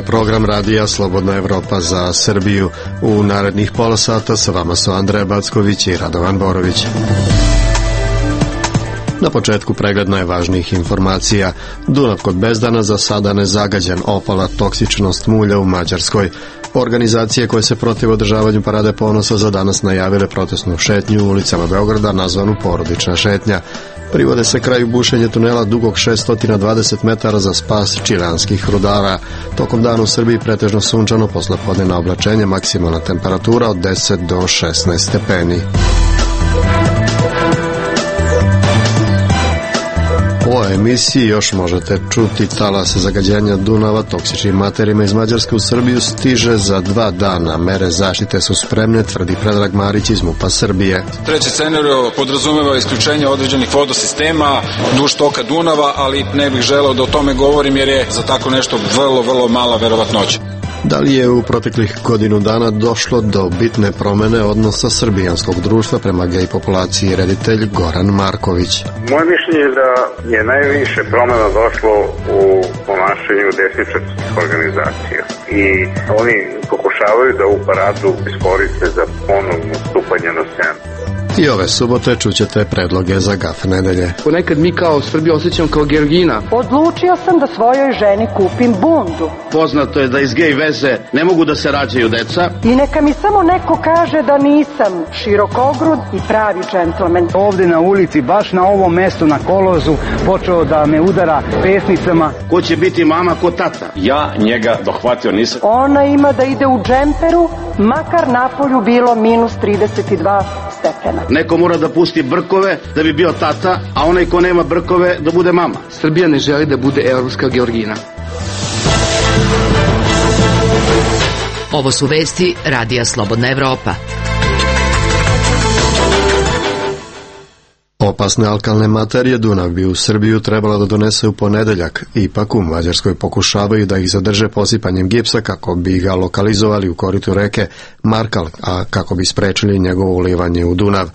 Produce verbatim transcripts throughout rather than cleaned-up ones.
program radija Slobodna Evropa za Srbiju. U narednih pola sata sa vama su Andreja Backović i Radovan Borović. Na početku pregled najvažnijih informacija. Dunav kod Bezdana za sada nezagađen, opala toksičnost mulja u Mađarskoj. Organizacije koje se protiv održavanju Parade ponosa za danas najavile protestnu šetnju u ulicama Beograda nazvanu Porodična šetnja. Privode se kraju bušenje tunela dugog šesto dvadeset metara za spas čileanskih rudara. Tokom dana u Srbiji pretežno sunčano, poslepodnevna oblačenje, maksimalna temperatura od deset do šesnaest stepeni. U emisiji još možete čuti talas zagađenja Dunava toksičnim materijama iz Mađarske u Srbiju stiže za dva dana. Mere zaštite su spremne, tvrdi Predrag Marić iz MUP-a Srbije. Treći scenario podrazumeva isključenje određenih vodosistema duž toka Dunava, ali ne bih želeo da o tome govorim jer je za tako nešto vrlo, vrlo mala verovatnoća. Da li je u proteklih godinu dana došlo do bitne promene odnosa srbijanskog društva prema gej populaciji, reditelj Goran Marković? Moje mišljenje je da je najviše promena došlo u ponašanju desničarskih organizacija i oni pokušavaju da ovu paradu iskoriste za ponovno stupanje na scenu. I ove subote čućete predloge za gaf nedelje. Ponekad mi kao Srbiju osjećam kao Georgina. Odlučio sam da svojoj ženi kupim bundu. Poznato je da iz gej veze ne mogu da se rađaju deca. I neka mi samo neko kaže da nisam širokogrud i pravi džentlmen. Ovde na ulici, baš na ovom mestu, na kolozu, počeo da me udara pesnicama. Ko će biti mama, ko tata? Ja njega dohvatio nisam. Ona ima da ide u džemperu, makar napolju bilo minus trideset dva stepena. Neko mora da pusti brkove da bi bio tata, a onaj ko nema brkove da bude mama. Srbija ne želi da bude evropska Georgina. Ovo su vesti radija Slobodna Evropa. Opasne alkalne materije Dunav bi u Srbiju trebala da donese u ponedeljak. Ipak u Mađarskoj pokušavaju da ih zadrže posipanjem gipsa kako bi ga lokalizovali u koritu reke Markal, a kako bi sprečili njegovo ulivanje u Dunav.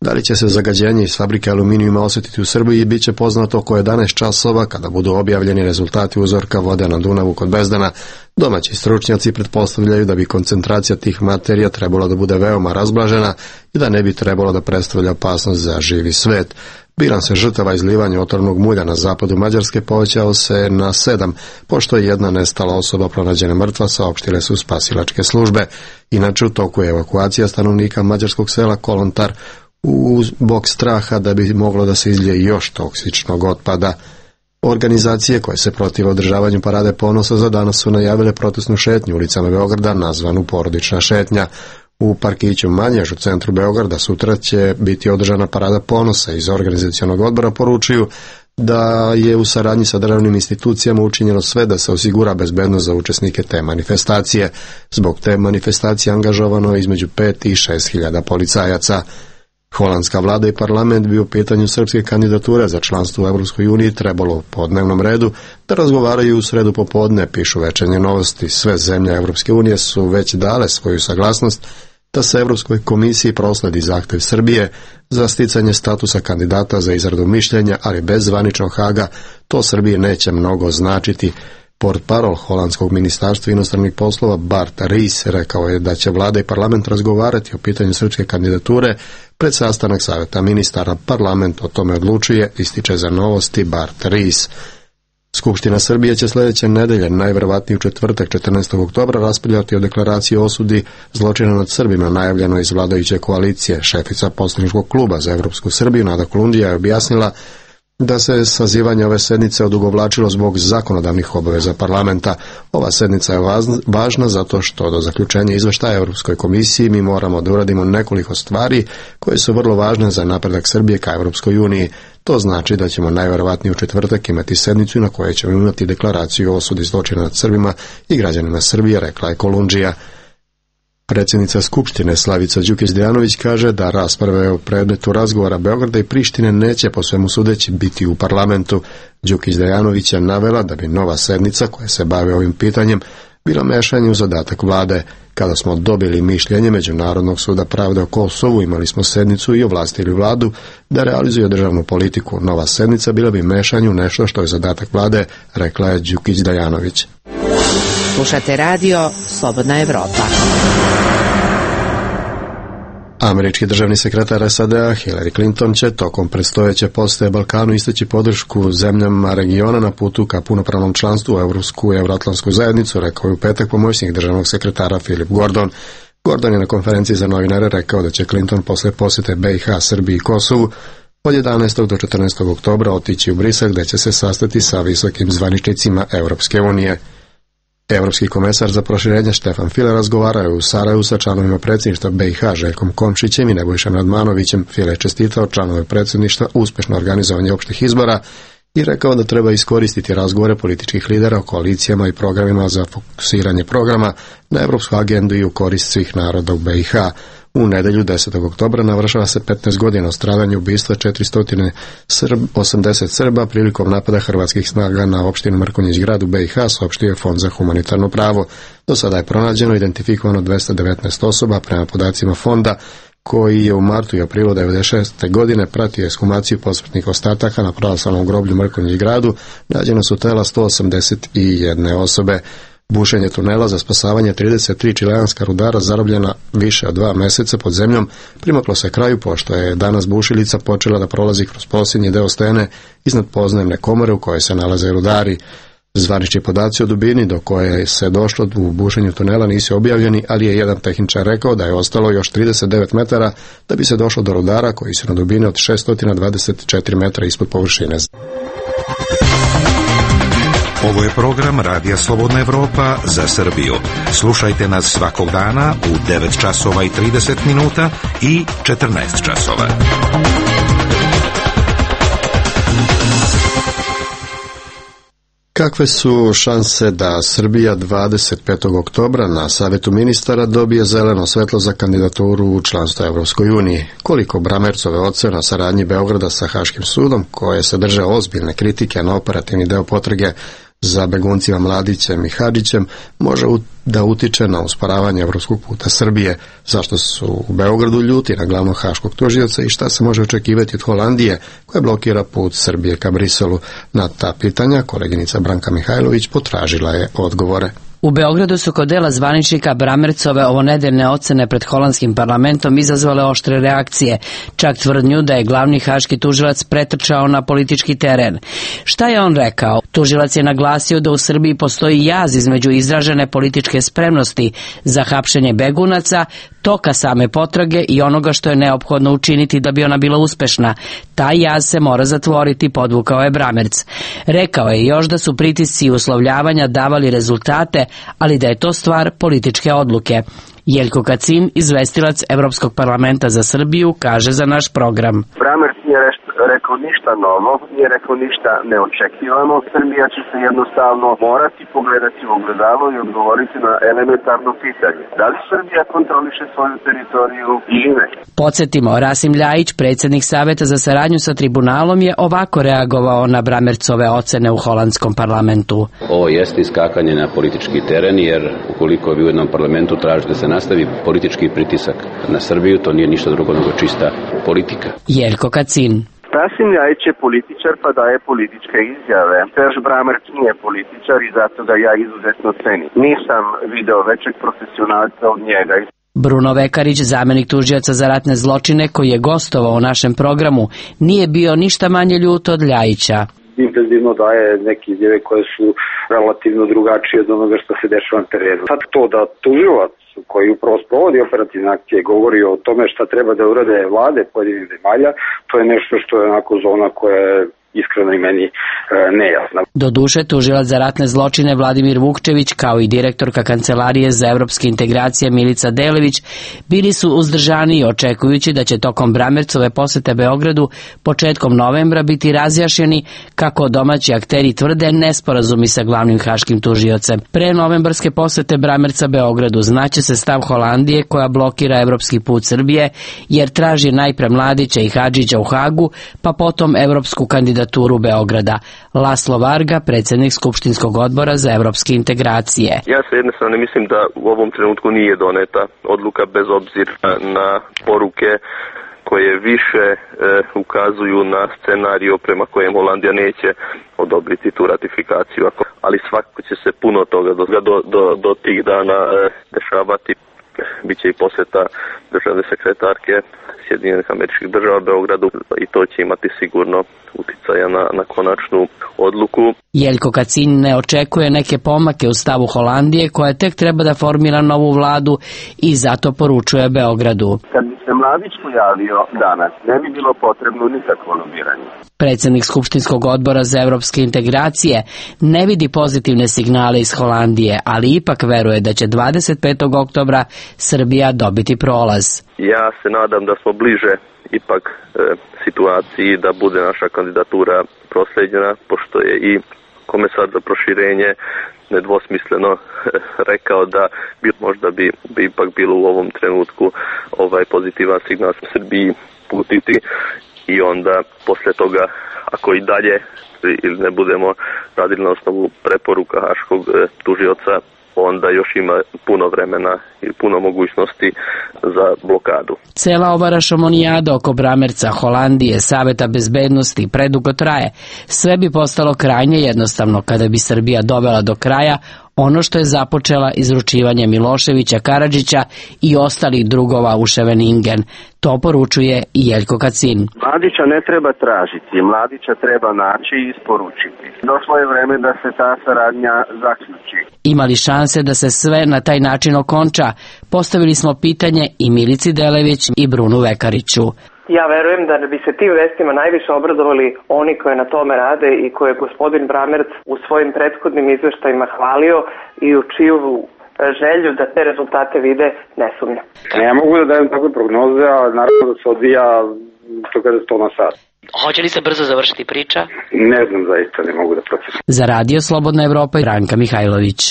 Da li će se zagađenje iz fabrike aluminijuma osjetiti u Srbiji, bit će poznato oko jedanaest časova kada budu objavljeni rezultati uzorka vode na Dunavu kod Bezdana. Domaći stručnjaci pretpostavljaju da bi koncentracija tih materija trebala da bude veoma razblažena i da ne bi trebalo da predstavlja opasnost za živi svet. Bilans žrtava izlivanja otrovnog mulja na zapadu Mađarske povećao se na sedam, pošto je jedna nestala osoba pronađena mrtva, saopštile su spasilačke službe. Inače, u toku je evakuacija stanovnika mađarskog sela Kolontar zbog straha da bi moglo da se izlije još toksičnog otpada. Organizacije koje se protive održavanju Parade ponosa za danas su najavile protestnu šetnju ulicama Beograda nazvanu Porodična šetnja. U parkiću Manjež u centru Beograda sutra će biti održana Parada ponosa. Iz organizacionog odbora poručuju da je u saradnji sa državnim institucijama učinjeno sve da se osigura bezbednost za učesnike te manifestacije. Zbog te manifestacije angažovano je između pet i šest hiljada policajaca. Holandska vlada i parlament bi u pitanju srpske kandidature za članstvo u Evropskoj uniji trebalo po dnevnom redu da razgovaraju u sredu popodne, pišu Večernje novosti. Sve zemlje Evropske unije su već dale svoju saglasnost da se Evropskoj komisiji prosledi zahtev Srbije za sticanje statusa kandidata za izradu mišljenja, ali bez zvaničnog Haga to Srbije neće mnogo značiti. Portparol holandskog ministarstva inostranih poslova Bart Ries rekao je da će vlada i parlament razgovarati o pitanju srpske kandidature pred sastanak savjeta ministara. Parlament o tome odlučuje, ističe za novosti Bart Ries. Skupština Srbije će sljedeće nedelje, najverovatnije u četvrtak četrnaestog oktobra, raspravljati o deklaraciji o osudi zločina nad Srbima najavljeno iz vladajuće koalicije. Šefica poslaničkog kluba za Evropsku Srbiju Nada Kolundžija je objasnila da se sazivanje ove sednice odugovlačilo zbog zakonodavnih obaveza parlamenta. Ova sednica je važna zato što do zaključenja izveštaja Europskoj komisiji mi moramo da uradimo nekoliko stvari koje su vrlo važne za napredak Srbije ka Europskoj uniji. To znači da ćemo najverovatnije u četvrtak imati sednicu na kojoj ćemo imati deklaraciju o osudi zločina nad Srbima i građanima Srbije, rekla je Kolundžija. Predsjednica Skupštine Slavica Đukić-Dejanović kaže da rasprave o predmetu razgovora Beograda i Prištine neće po svemu sudeći biti u parlamentu. Đukić-Dejanović je navela da bi nova sednica koja se bavi ovim pitanjem bila mešanje u zadatak vlade. Kada smo dobili mišljenje Međunarodnog suda pravde o Kosovu, imali smo sednicu i ovlastili vladu da realizuje državnu politiku. Nova sednica bila bi mešanje u nešto što je zadatak vlade, rekla je Đukić-Dejanović. Slušate radio Slobodna Evropa. Američki državni sekretar S A D-a Hillary Clinton će tokom predstojeće posete Balkanu istaći podršku zemljama regiona na putu ka punopravnom članstvu u Evropsku i Evroatlantsku zajednicu, rekao je u petak pomoćnik državnog sekretara Philip Gordon. Gordon je na konferenciji za novinare rekao da će Clinton posle posete B i H, Srbiji i Kosovu od jedanaestog do četrnaestog oktobra otići u Brisel, gde će se sastati sa visokim zvaničnicima Evropske unije. Evropski komesar za proširenje Štefan File razgovarao je u Sarajevu sa članovima predsjedništva B i H Željkom Komšićem i Nebojšom Radmanovićem. File je čestitao članove predsjedništva uspješno organizovanje opštih izbora i rekao da treba iskoristiti razgovore političkih lidera o koalicijama i programima za fokusiranje programa na evropsku agendu i u korist svih naroda u B i H. U nedelju desetog oktobra navršava se petnaest godina od stradanja ubistva četiristo osamdeset Srba prilikom napada hrvatskih snaga na opštinu Mrkonjić Grad u B i H, saopštio je Fond za humanitarno pravo. Do sada je pronađeno i identifikovano dvesta devetnaest osoba prema podacima fonda, koji je u martu i aprilu devedeset šeste godine pratio ekshumaciju posmrtnih ostataka na pravoslavnom groblju Mrkonjić Gradu. Nađena su tela sto osamdeset jedne osobe. Bušenje tunela za spasavanje trideset tri čileanska rudara zarobljena više od dva meseca pod zemljom primaklo se kraju, pošto je danas bušilica počela da prolazi kroz posljednji deo stene iznad podzemne komore u kojoj se nalaze rudari. Zvanični podaci o dubini do koje se došlo u bušenju tunela nisu objavljeni, ali je jedan tehničar rekao da je ostalo još trideset devet metara da bi se došlo do rudara koji su na dubini od šeststo dvadeset četiri metra ispod površine. Ovo je program Radija Slobodna Evropa za Srbiju. Slušajte nas svakog dana u devet časova i trideset minuta i četrnaest časova. Kakve su šanse da Srbija dvadeset petog oktobra na Savetu ministara dobije zeleno svetlo za kandidaturu u članstvo Evropskoj uniji? Koliko Bramercove ocene o saradnji Beograda sa Haškim sudom, koje sadrže ozbiljne kritike na operativni deo potrage za beguncima Mladićem i Hadžićem, može da utiče na usporavanje evropskog puta Srbije? Zašto su u Beogradu ljuti na glavnog haškog tužioca i šta se može očekivati od Holandije koja blokira put Srbije ka Briselu? Na ta pitanja koleginica Branka Mihajlović potražila je odgovore. U Beogradu su kod dela zvaničnika Bramercove ovonedeljne ocene pred holandskim parlamentom izazvale oštre reakcije, čak tvrdnju da je glavni haški tužilac pretrčao na politički teren. Šta je on rekao? Tužilac je naglasio da u Srbiji postoji jaz između izražene političke spremnosti za hapšenje begunaca, toka same potrage i onoga što je neophodno učiniti da bi ona bila uspešna. Taj jaz se mora zatvoriti, podvukao je Bramerc. Rekao je još da su pritisci i uslovljavanja davali rezultate, ali da je to stvar političke odluke. Jeljko Kacin, izvestilac Evropskog parlamenta za Srbiju, kaže za naš program. Bramerc nije rekao ništa novo, nije rekao ništa neočekivano. Srbija će se jednostavno morati pogledati u ogledalo i odgovoriti na elementarno pitanje. Da li Srbija kontroliše svoju teritoriju ili ne? Podsjetimo, Rasim Ljajić, predsjednik Saveta za saradnju sa tribunalom, je ovako reagovao na Bramercove ocene u holandskom parlamentu. Ovo jeste iskakanje na politički teren, jer ukoliko vi u jednom parlamentu tražite da se nastavi politički pritisak na Srbiju, to nije ništa drugo nego čista politika. Jeljko Kacin. Rasim Ljajić je političar pa daje političke izjave. Serž Bramerc nije političar i zato ga ja izuzetno cenim. Nisam video većeg profesionalca od njega. Bruno Vekarić, zamenik tužioca za ratne zločine, koji je gostovao u našem programu, nije bio ništa manje ljut od Ljajića. Intenzivno daje neke izjave koje su relativno drugačije od onoga što se dešava na terenu. Sad to da tužilac koji upravo sprovodi operativne akcije govori o tome šta treba da urade vlade pojedinih zemalja, to je nešto što je onako zona koja je iskreno i meni e, nejasna. Doduše, tužilac za ratne zločine Vladimir Vukčević, kao i direktorka Kancelarije za evropske integracije Milica Delević, bili su uzdržani očekujući da će tokom Bramercove posete Beogradu početkom novembra biti razjašnjeni, kako domaći akteri tvrde, nesporazumi sa glavnim haškim tužiocem. Pre novembarske posete Bramerca Beogradu znaće se stav Holandije, koja blokira evropski put Srbije, jer traži najpre Mladića i Hadžića u Hagu, pa potom evropsku kandidaturu Beograda. Laslo Varga, predsjednik Skupštinskog odbora za evropske integracije. Ja se jednostavno mislim da u ovom trenutku nije doneta odluka bez obzira na poruke koje više e, ukazuju na scenario prema kojem Holandija neće od odobriti tu ratifikaciju, ali svakako će se puno toga do, do, do, do tih dana e, dešavati. Biće i posjeta državne sekretarke Sjedinjenih Američkih Država Beogradu i to će imati sigurno uticaja na, na konačnu odluku. Jeljko Kacin ne očekuje neke pomake u stavu Holandije koja tek treba da formira novu vladu i zato poručuje Beogradu. Kad bi se Mladić pojavio danas, ne bi bilo potrebno nikakvo lobiranje. Predsjednik Skupštinskog odbora za evropske integracije ne vidi pozitivne signale iz Holandije, ali ipak veruje da će dvadeset petog oktobra Srbija dobiti prolaz. Ja se nadam da smo bliže ipak e, situaciji da bude naša kandidatura proslijeđena, pošto je i komesar za proširenje nedvosmisleno rekao da bi, možda bi, bi ipak bilo u ovom trenutku ovaj pozitivan signal Srbiji putiti i onda posle toga ako i dalje ili ne budemo radili na osnovu preporuka haškog e, tužioca, onda još ima puno vremena i puno mogućnosti za blokadu. Cela ova rašomonijada oko Bramerca, Holandije, Saveta bezbednosti predugo traje. Sve bi postalo krajnje jednostavno kada bi Srbija dovela do kraja ono što je započela izručivanje Miloševića, Karadžića i ostalih drugova u Scheveningen. To poručuje i Jeljko Kacin. Mladića ne treba tražiti, Mladića treba naći i isporučiti. Došlo je vreme da se ta saradnja zaključi. Ima li šanse da se sve na taj način okonča? Postavili smo pitanje i Milici Delević i Brunu Vekariću. Ja verujem da bi se tim vestima najviše obradovali oni koji na tome rade i koje je gospodin Bramerc u svojim prethodnim izveštajima hvalio i u čiju želju da te rezultate vide ne sumnja. Ne mogu da dajem takve prognoze, a naravno da se odvija sto na sat. Hoće li se brzo završiti priča? Ne znam, zaista ne mogu da procenim. Za Radio Slobodna Evropa i Branka Mihajlović.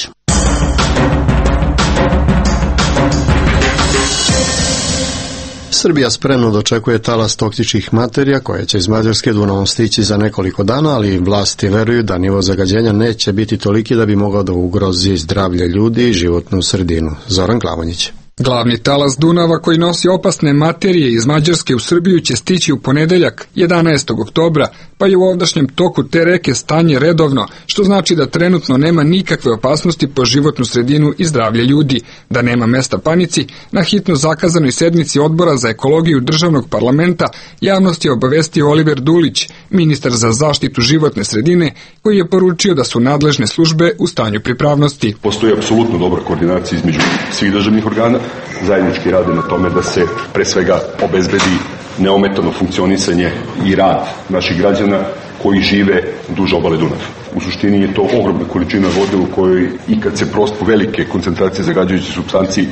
Srbija spremno dočekuje talas toksičnih materija koje će iz Mađarske Dunavom stići za nekoliko dana, ali vlasti veruju da nivo zagađenja neće biti toliki da bi mogao da ugrozi zdravlje ljudi i životnu sredinu. Zoran Klavonjić. Glavni talas Dunava koji nosi opasne materije iz Mađarske u Srbiju će stići u ponedeljak, jedanaestog oktobra, pa je u ovdašnjem toku te reke stanje redovno, što znači da trenutno nema nikakve opasnosti po životnu sredinu i zdravlje ljudi. Da nema mesta panici, na hitno zakazanoj sednici Odbora za ekologiju državnog parlamenta javnost je obavestio Oliver Dulić, ministar za zaštitu životne sredine, koji je poručio da su nadležne službe u stanju pripravnosti. Postoji apsolutno dobra koordinacija između svih državnih organa, zajednički rade na tome da se pre svega obezbedi neometano funkcionisanje i rad naših građana koji žive duž obale Dunava. U suštini je to ogromna količina vode u kojoj i kad se prosto velike koncentracije zagađujućih supstanci,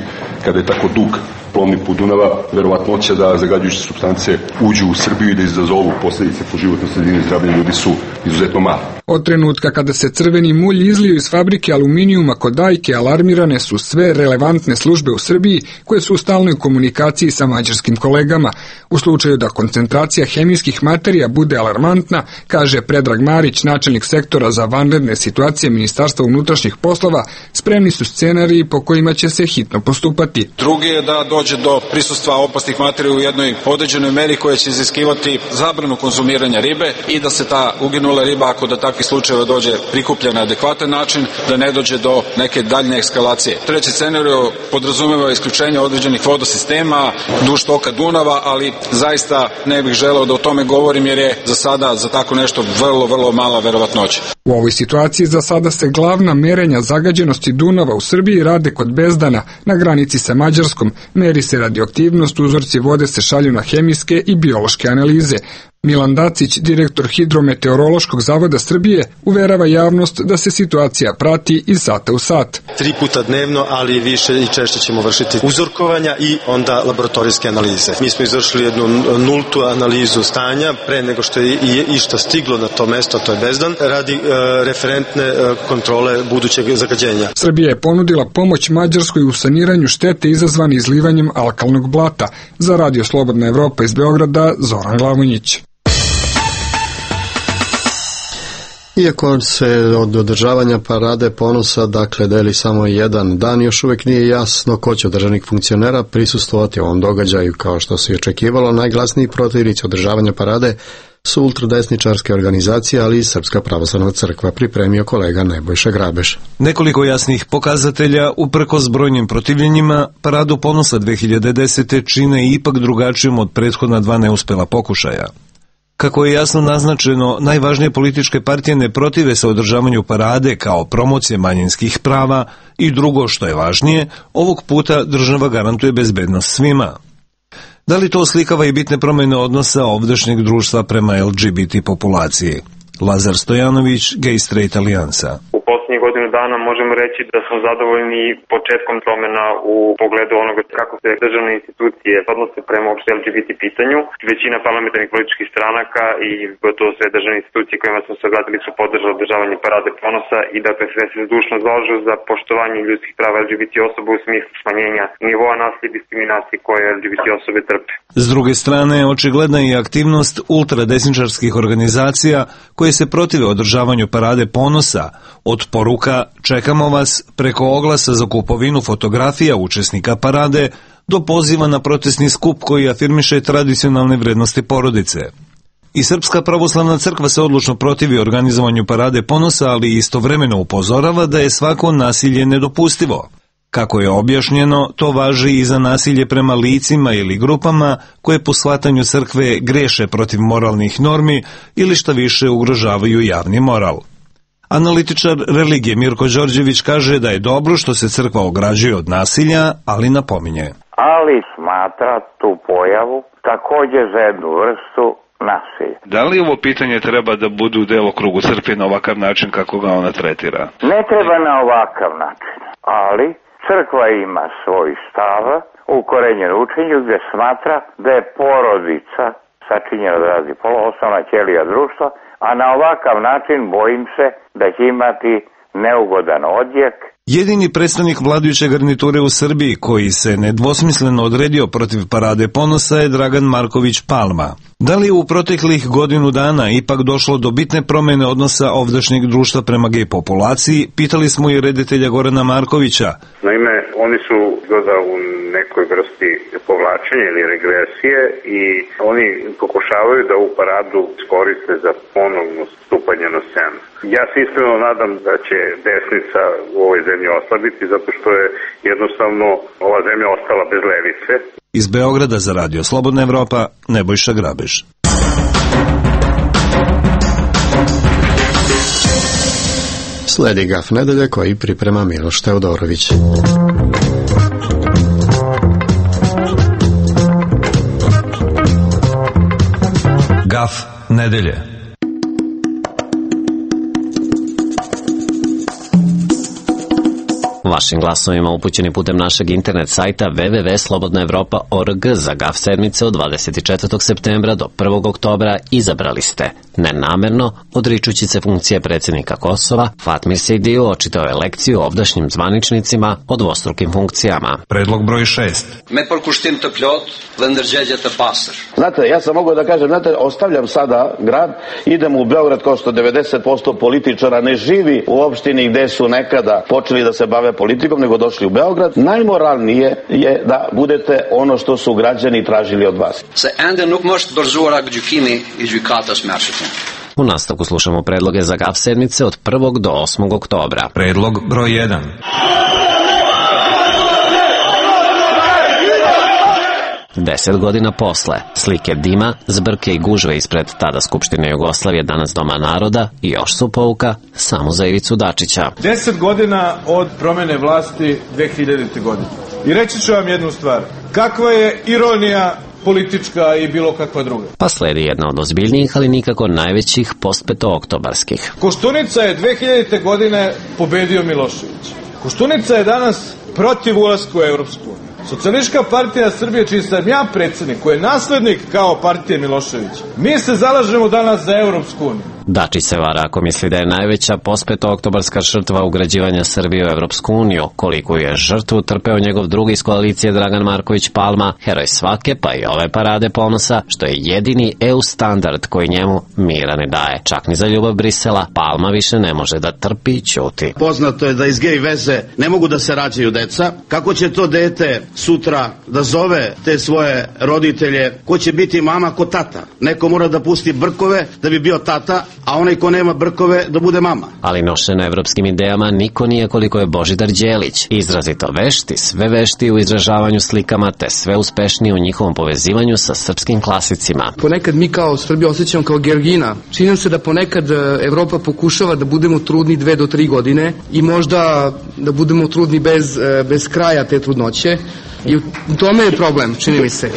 kada je tako dug plovni put Dunava, verovatnoća da zagađujuće supstance uđu u Srbiju i da izazovu posljedice po životnoj sredini i zdravlje ljudi su izuzetno male. Od trenutka kada se crveni mulj izlio iz fabrike aluminijuma kod Dajke, alarmirane su sve relevantne službe u Srbiji koje su u stalnoj komunikaciji sa mađarskim kolegama. U slučaju da koncentracija hemijskih materija bude alarmantna, kaže Predrag Marić, načelnik sektora za vanredne situacije Ministarstva unutrašnjih poslova, spremni su scenariji po kojima će se hitno postupati. Drugi je da dođe do prisustva opasnih materija u jednoj određenoj meri koja će iziskivati zabranu konzumiranja ribe i da se ta uginula riba, ako do takvih slučajeva dođe, prikuplja na adekvatan način, da ne dođe do neke daljne eskalacije. Treći scenario podrazumeva isključenje određenih vodosistema duž toka Dunava, ali zaista ne bih želeo da o tome govorim jer je za sada za tako nešto vrlo, vrlo mala verovatnoća. U ovoj situaciji za sada se glavna merenja zagađenosti Dunava u Srbiji rade kod Bezdana, na granici sa Mađarskom. Meri se radioaktivnost, uzorci vode se šalju na hemijske i biološke analize. Milan Dacić, direktor Hidrometeorološkog zavoda Srbije, uverava javnost da se situacija prati iz sata u sat. Tri puta dnevno, ali više i češće ćemo vršiti uzorkovanja i onda laboratorijske analize. Mi smo izvršili jednu nultu analizu stanja pre nego što je išta stiglo na to mesto, to je Bezdan, radi e, referentne e, kontrole budućeg zagađenja. Srbija je ponudila pomoć Mađarskoj u saniranju štete izazvane izlivanjem alkalnog blata. Za Radio Slobodna Evropa iz Beograda, Zoran Glavonjić. Iako se od održavanja parade ponosa dakle deli samo jedan dan, još uvijek nije jasno ko će od državnih funkcionera prisustvovati ovom događaju. Kao što se očekivalo, najglasniji protivnici održavanja parade su ultradesničarske organizacije, ali i Srpska pravoslavna crkva, pripremio kolega Nebojša Grabeš. Nekoliko jasnih pokazatelja, uprkos brojnim protivljenjima, Paradu ponosa dve hiljade desete. čine ipak drugačijom od prethodna dva neuspela pokušaja. Kako je jasno naznačeno, najvažnije političke partije ne protive se održavanju parade kao promocije manjinskih prava i drugo što je važnije, ovog puta država garantuje bezbednost svima. Da li to oslikava i bitne promjene odnosa ovdašnjeg društva prema L G B T populaciji? Lazar Stojanović, Gay Straight Alijansa. U posljednjih godinu dana možemo reći da smo zadovoljni početkom promjena u pogledu onoga kako se državne institucije odnose prema uopšte L G B T pitanju. Većina parlamentarnih političkih stranaka i gotovo sve državne institucije kojima smo se obratili su podržali održavanje Parade ponosa i dakle sve se zdušno zalažu za poštovanje ljudskih prava L G B T osoba u smislu smanjenja nivoa nasilja i diskriminacije koje L G B T osobe trpe. S druge strane, očigledna je aktivnost ultradesničarskih organizacija koje se protive održavanju Parade ponosa, od poruka "čekamo vas" preko oglasa za kupovinu fotografija učesnika parade do poziva na protestni skup koji afirmiše tradicionalne vrednosti porodice. I Srpska pravoslavna crkva se odlučno protivi organizovanju Parade ponosa, ali istovremeno upozorava da je svako nasilje nedopustivo. Kako je objašnjeno, to važi i za nasilje prema licima ili grupama koje po shvatanju crkve greše protiv moralnih normi ili šta više ugrožavaju javni moral. Analitičar religije Mirko Đorđević kaže da je dobro što se crkva ograđuje od nasilja, ali napominje. Ali smatra tu pojavu također za jednu vrstu nasilja. Da li ovo pitanje treba da bude u delokrugu crkve na ovakav način kako ga ona tretira? Ne treba na ovakav način, ali crkva ima svoj stav u korenjenom učenju gdje smatra da je porodica sačinjena od raznih polova, osnovna ćelija društva, a na ovakav način bojim se da će imati neugodan odjek. Jedini predstavnik vladajuće garniture u Srbiji koji se nedvosmisleno odredio protiv Parade ponosa je Dragan Marković Palma. Da li je u proteklih godinu dana ipak došlo do bitne promjene odnosa ovdašnjeg društva prema gej populaciji, pitali smo i reditelja Gorana Markovića. Naime, oni su izgleda u nekoj vrsti povlačenja ili regresije i oni pokušavaju da ovu paradu iskoriste za ponovno stupanje na scenu. Ja se iskreno nadam da će desnica u ovoj zemlji oslabiti zato što je jednostavno ova zemlja ostala bez levice. Iz Beograda za Radio Slobodna Evropa, Nebojša Grabeš. Sledi Gaf nedelje koji priprema Miloš Teodorović. Gaf nedelje. Vašim glasovima upućeni putem našeg internet sajta w w w tačka slobodna evropa tačka org za Gaf sedmice od dvadeset četvrtog septembra do prvog oktobra izabrali ste nenamerno, odričući se funkcije predsjednika Kosova, Fatmir Sejdiju očitao je lekciju ovdašnjim zvaničnicima o dvostrukim funkcijama. Predlog broj šest. Me përkushtim të plot dhe ndërgjegje të pastër. Znate, ja sam mogao da kažem, znate, ostavljam sada grad, idem u Beograd kao što devedeset posto političara ne živi u opštini gde su nekada počeli da se bave politikom, nego došli u Beograd. Najmoralnije je da budete ono što su građani tražili od vas. Se ende nuk më është dorëzuar gjykimi i gjykatës mërshme. U nastavku slušamo predloge za Gaf sedmice od prvog do osmog oktobra. Predlog broj jedan. Deset godina posle, slike dima, zbrke i gužve ispred tada Skupštine Jugoslavije, danas Doma naroda, i još su pouka samo za Ivicu Dačića. Deset godina od promjene vlasti dve hiljadite godine. I reći ću vam jednu stvar. Kakva je ironija politička i bilo kakva druga. Pa sledi jedna od ozbiljnijih, ali nikako najvećih postpetooktobarskih. Koštunica je dve hiljadite godine pobedio Milošević. Koštunica je danas protiv ulaska u Evropsku uniju. Socijalistička partija Srbije, čiji sam ja predsjednik, koji je naslednik kao partije Miloševića, mi se zalažemo danas za Evropsku uniju. Dačić se vara ako misli da je najveća pospetooktobarska žrtva ugrađivanja Srbije u Evropsku uniju. Koliko je žrtvu trpeo njegov drugi iz koalicije Dragan Marković Palma, heroj svake pa i ove parade ponosa, što je jedini E U standard koji njemu mira ne daje. Čak ni za ljubav Brisela Palma više ne može da trpi i ćuti. Poznato je da iz gej veze ne mogu da se rađaju deca. Kako će to dete sutra da zove te svoje roditelje? Ko će biti mama, ko tata? Neko mora da pusti brkove da bi bio tata, a onaj ko nema brkove da bude mama. Ali nošen evropskim idejama niko nije koliko je Božidar Đelić. Izrazito vešti, sve vešti u izražavanju slikama, te sve uspešniji u njihovom povezivanju sa srpskim klasicima. Ponekad mi kao Srbija osjećamo kao Georgina. Čini nam se da ponekad Evropa pokušava da budemo trudni dve do tri godine i možda da budemo trudni bez, bez kraja te trudnoće. I u tome je problem, čini mi se.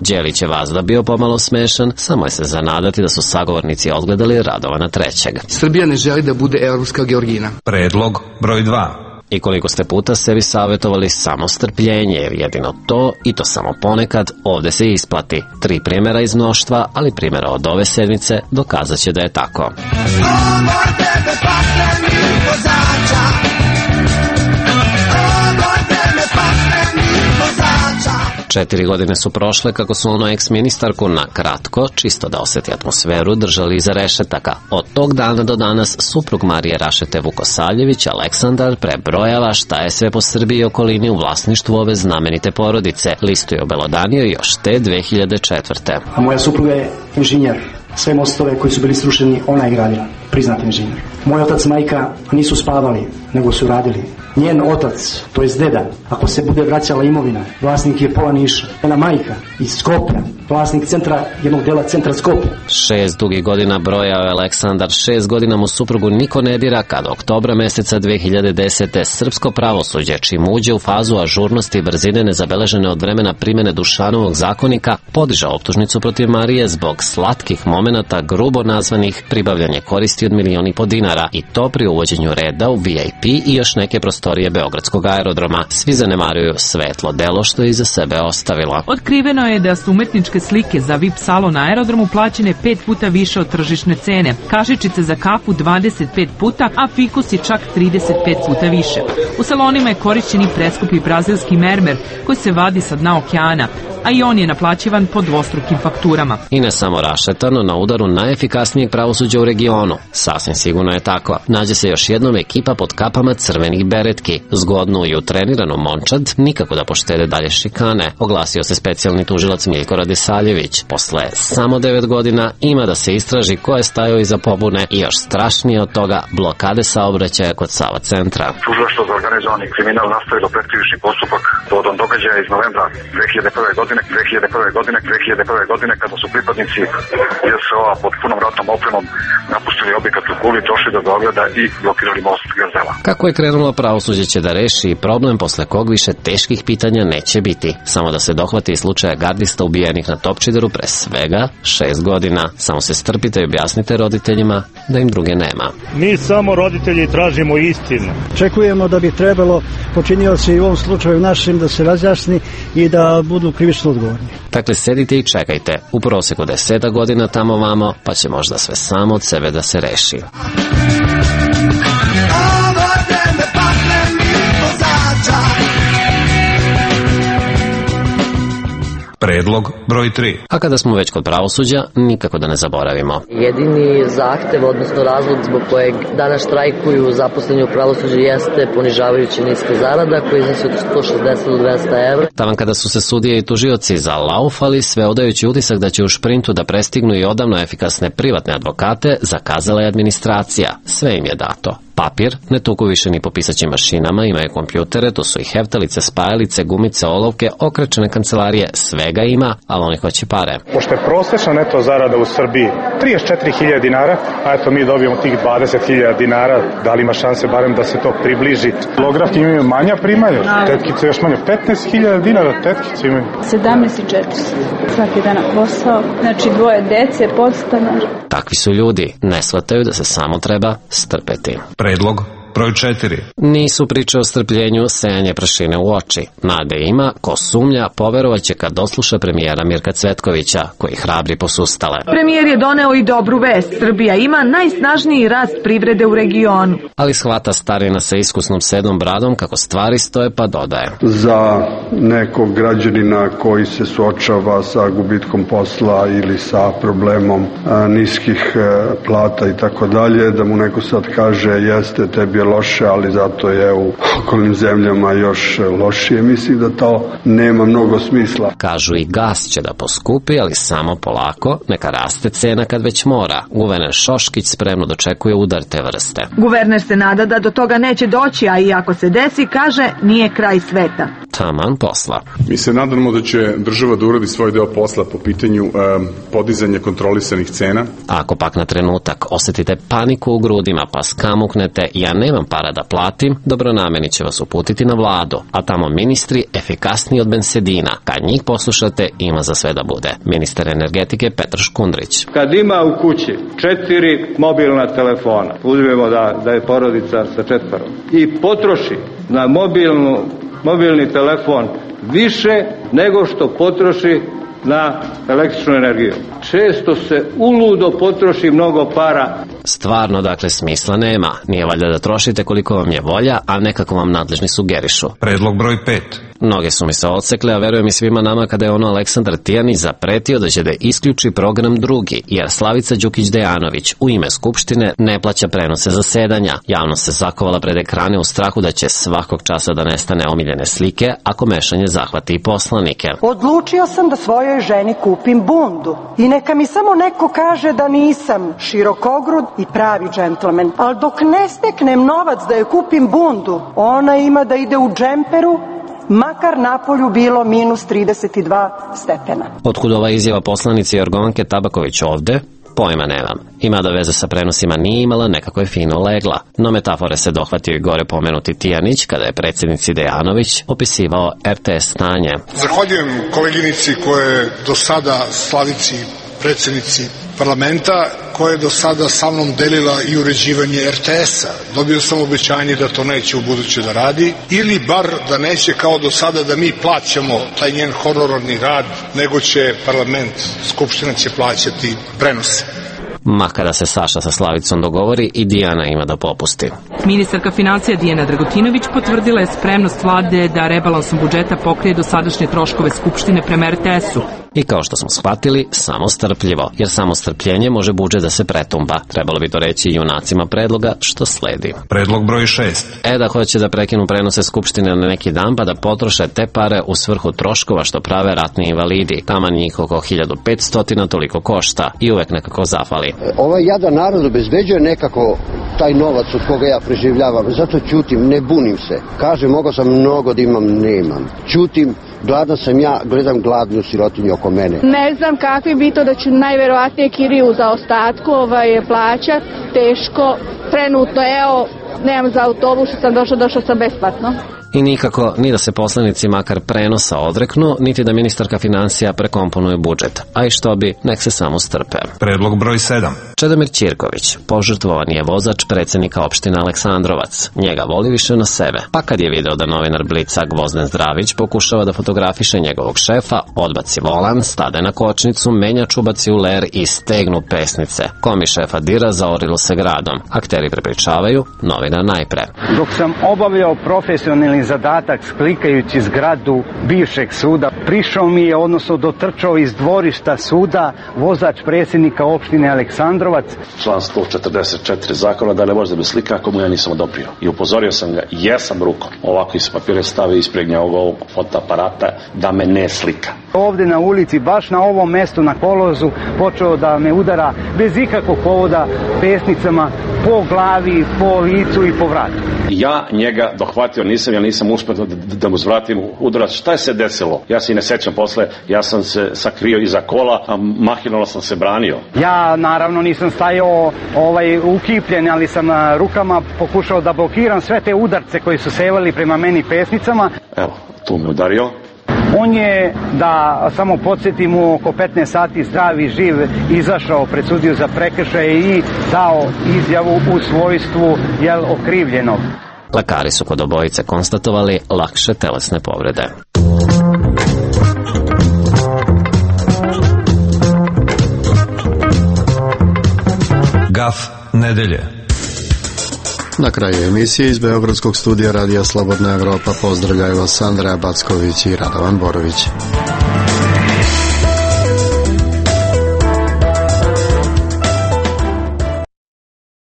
Đelić je vazda bio pomalo smešan, samo je se zanadati da su sagovornici odgledali Radovana trećeg. Srbija ne želi da bude evropska Georgina. Predlog broj dva. I koliko ste puta sebi savjetovali samo strpljenje, jer jedino to, i to samo ponekad, ovde se isplati. Tri primjera iz mnoštva, ali primjera od ove sedmice dokazat će da je tako. Četiri godine su prošle kako su ono ex-ministarku na kratko, čisto da osjeti atmosferu, držali iza rešetaka. Od tog dana do danas suprug Marije Rašete Vukosaljević, Aleksandar, prebrojava šta je sve po Srbiji i okolini u vlasništvu ove znamenite porodice. Listu je obelodanio još te dve hiljade četvrte. A moja supruga je inženjer. Sve mostove koji su bili srušeni, ona je gradila, priznati inženjer. Moj otac i majka nisu spavali, nego su radili. Njen otac, to jest deda, ako se bude vraćala imovina, vlasnik je pola Niša. Njena majka iz Skoplja, vlasnik centra, jednog dela centra Skoplja. Šest dugih godina brojao je Aleksandar, šest godina mu suprugu niko ne dira, kada oktobra meseca dve hiljade desete srpsko pravosuđe, čim uđe u fazu ažurnosti i brzine nezabeležene od vremena primene Dušanovog zakonika, podiže optužnicu protiv Marije zbog slatkih momenata grubo nazvanih pribavljanje koristi od milion i po dinara, i to pri uvođenju reda u V I P i još neke prostorije Beogradskog aerodroma. Svi zanemaruju svetlo delo što je iza sebe ostavilo. Otkriveno je da su umetničke slike za V I P salon na aerodromu plaćene pet puta više od tržišne cene, kašičice za kafu dvadeset pet puta, a fikusi čak trideset pet puta više. U salonima je korišćen i preskupi brazilski mermer koji se vadi sa dna okeana, a i on je naplaćivan po dvostrukim fakturama. I ne samo rašetano, na udaru najefikasnijeg pravosuđa u regionu. Sasvim sigurno je tako. Nađe se još jednom ekipa pod kapama crvenih beretki. Zgodnu i utreniranu momčad nikako da poštede dalje šikane. Oglasio se specijalni tužilac Miljko Radisaljević. Posle samo devet godina ima da se istraži ko je stajao iza pobune i još strašnije od toga blokade saobraćaja kod Sava centra. Tužilaštvo za organizovani kriminal nastavilo pretkrivični postupak povodom događaja iz novembra dve hiljade prve godine, dve hiljade prve godine, dve hiljade prve godine kada su pripadnici J S O-a pod punom ratnom opremom napustili objekat u Kuli, došli do Beograda i blokirali most Gazela. Kako je krenulo, pravosuđe će da reši problem posle kog više teških pitanja neće biti. Samo da se dohvati slučaja gardista ubijenih na Topčideru pre svega šest godina. Samo se strpite i objasnite roditeljima da im druge nema. Mi samo roditelji tražimo istinu. Očekujemo da bi trebalo počinioci u ovom slučaju našim da se razjasni i da budu krivično odgovorni. Dakle, sedite i čekajte. U proseku deseta godina tamo vamo, pa će možda sve samo od sebe da se reši. Predlog broj tri. A kada smo već kod pravosuđa, nikako da ne zaboravimo. Jedini zahtev, odnosno razlog zbog kojeg danas štrajkuju zaposleni u pravosuđu jeste ponižavajuća niska zarada koja iznosi od sto šezdeset do dvesta evra. Taman kada su se sudije i tužioci zalaufali, sve odajući utisak da će u šprintu da prestignu i odavno efikasne privatne advokate, zakazala je administracija. Sve im je dato. Papir ne tuku više ni po pisaćim mašinama, imaju kompjutere, to su i heftalice, spajalice, gumice, olovke, okrečene kancelarije, svega ima, ali oni hoće pare. Pošto je prosečna neto zarada u Srbiji trideset četiri hiljade dinara, a eto mi dobijemo tih dvadeset hiljada dinara, da li ima šanse barem da se to približi? Holografki imaju manja primanja, tetkice još manje, petnaest hiljada dinara tetkice imaju. sedamnaest i četiristo, svaki dan na posao, znači dvoje dece, podstanar. Takvi su ljudi, ne shvataju da se samo treba strpeti. Predlog Broj četiri. Nisu priče o strpljenju sejanje prašine u oči. Nade ima, ko sumnja, poverovaće kad dosluša premijera Mirka Cvetkovića, koji hrabri posustale. Premijer je doneo i dobru vest. Srbija ima najsnažniji rast privrede u regionu. Ali shvata starina sa iskusnom sedom bradom kako stvari stoje pa dodaje. Za nekog građanina koji se suočava sa gubitkom posla ili sa problemom a, niskih a, plata i tako dalje, da mu neko sad kaže jeste, tebi je loše, ali zato je u okolnim zemljama još lošije. Mislim da to nema mnogo smisla. Kažu i gas će da poskupi, ali samo polako, neka raste cena kad već mora. Guverner Šoškić spremno dočekuje udar te vrste. Guverner se nada da do toga neće doći, a i ako se desi, kaže, nije kraj sveta. Taman posla. Mi se nadamo da će država da uradi svoj deo posla po pitanju e, podizanja kontrolisanih cena. Ako pak na trenutak osetite paniku u grudima pa skamuknete ja nemam para da platim, dobronameni će vas uputiti na vladu, a tamo ministri efikasniji od bensedina. Kad njih poslušate, ima za sve da bude. Ministar energetike Petar Škundrić. Kad ima u kući četiri mobilna telefona, uzmemo da, da je porodica sa četvorom, i potroši na mobilnu mobilni telefon više nego što potroši na električnu energiju. Često se uludo potroši mnogo para. Stvarno, dakle, smisla nema. Nije valjda da trošite koliko vam je volja, a nekako vam nadležni sugerišu. Predlog broj pet. Noge su mi se odsekle, a verujem i svima nama kada je ono Aleksandar Tijanić zapretio da će da isključi program drugi, jer Slavica Đukić-Dejanović u ime Skupštine ne plaća prenose zasedanja. Javno se zakovala pred ekrane u strahu da će svakog časa da nestane omiljene slike ako mešanje zahvati i poslanike. Odlučio sam da svojoj ženi kupim bundu i neka mi samo neko kaže da nisam širokogrud i pravi džentlmen, ali dok ne steknem novac da joj kupim bundu, ona ima da ide u džemperu, makar napolju bilo minus trideset dva stepena. Otkud ova izjava poslanice Jorgovanke Tabaković ovde? Pojma nemam. Ima da veze sa prenosima nije imala, nekako je fino legla. No metafore se dohvatio i gore pomenuti Tijanić kada je predsjednici Dejanović opisivao er te es stanje. Zahvaljujem koleginici koje je do sada, Slavici, predsjednici parlamenta, koja je do sada sa mnom delila i uređivanje er te esa. Dobio sam obećanje da to neće u buduće da radi, ili bar da neće kao do sada da mi plaćamo taj njen honorarni rad, nego će parlament, Skupština će plaćati prenose. Ma kada se Saša sa Slavicom dogovori, i Dijana ima da popusti. Ministarka financija Dijana Dragutinović potvrdila je spremnost vlade da rebalansom budžeta pokrije dosadašnje troškove Skupštine prema er te esu. I kao što smo shvatili, samo strpljivo, jer samo strpljenje može budžet da se pretumba. Trebalo bi to reći i junacima predloga što sledi. Predlog broj šest. E da hoće da prekinu prenose Skupštine na neki dan pa da potroše te pare u svrhu troškova što prave ratni invalidi. Taman njih oko hiljadu petsto toliko košta i uvek nekako zafali. Ovaj jadan narod obezbeđuje nekako taj novac od koga ja preživljavam. Zato ćutim, ne bunim se. Kažem, mogao sam mnogo da imam, nemam. Ćutim, gladna sam ja, gledam gladnu sirotinju oko mene. Ne znam kakvi bi to da ću najverovatnije kiriju za ostatku ovaj, plaćat. Teško. Trenutno, evo, nemam za autobus, što sam došla, došla sam besplatno. I nikako ni da se poslanici makar prenosa odreknu, niti da ministarka financija prekomponuje budžet. A i što bi, nek se samo strpe. Predlog broj sedam. Čedomir Ćirković, požrtvovan je vozač predsjednika opštine Aleksandrovac. Njega voli više na sebe. Pa kad je video da novinar Blica Gvozden Zdravić pokušava da fotografiše njegovog šefa, odbaci volan, stade na kočnicu, menjač ubaci u ler i stegnu pesnice. Komi šefa dira, zaorilo se gradom. Akteri prepričavaju, novinar najpre. Dok sam obavljao profesionalni zadatak klikajući zgradu bivšeg suda, prišao mi je, odnosno dotrčao iz dvorišta suda, vozač predsjednika opštine Aleksandrovac. Član sto četrdeset četiri zakona da ne može da me slika ako mu ja nisam odobrio. I upozorio sam ga, jesam rukom, ovako iz papire stave ispregnja ovog fotoaparata da me ne slika. Ovde na ulici, baš na ovom mestu na kolozu, počeo da me udara bez ikakvog povoda pesnicama po glavi, po licu i po vratu. Ja njega dohvatio nisam, ja nisam uspio da, da mu zvratim udarac. Šta je se desilo? Ja se i ne sećam posle, ja sam se sakrio iza kola, a mahinalno sam se branio. Ja naravno nisam stajao ovaj, ukipljen, ali sam rukama pokušao da blokiram sve te udarce koji su sevali prema meni pesnicama. Evo, tu me udario. On je, da samo podsjetimo, oko petnaest sati zdrav i živ izašao pred sudiju za prekršaje i dao izjavu u svojstvu jel, okrivljenog. Lekari su kod obojice konstatovali lakše telesne povrede. Gaf nedelje. Na kraju emisije iz Beogradskog studija Radija Slobodna Evropa pozdravljaju vas Andreja Backović i Radovan Borović.